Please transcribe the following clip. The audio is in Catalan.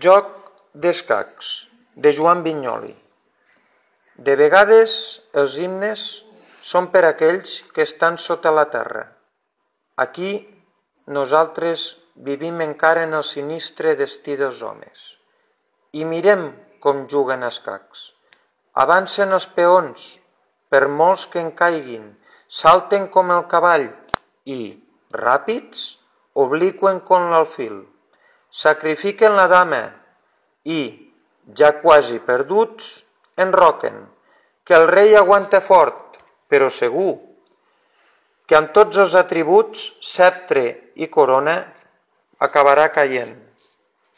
Joc d'escacs, de Joan Vinyoli. De vegades els himnes són per aquells que estan sota la terra. Aquí nosaltres vivim encara en el sinistre destí dels homes. I mirem com juguen escacs. Avancen els peons, per molts que en caiguin, salten com el cavall i, ràpids, obliquen com l'alfil. Sacrifiquen la dama i, ja quasi perduts, enroquen, que el rei aguanta fort, però segur, que amb tots els atributs, sceptre i corona, acabarà caient.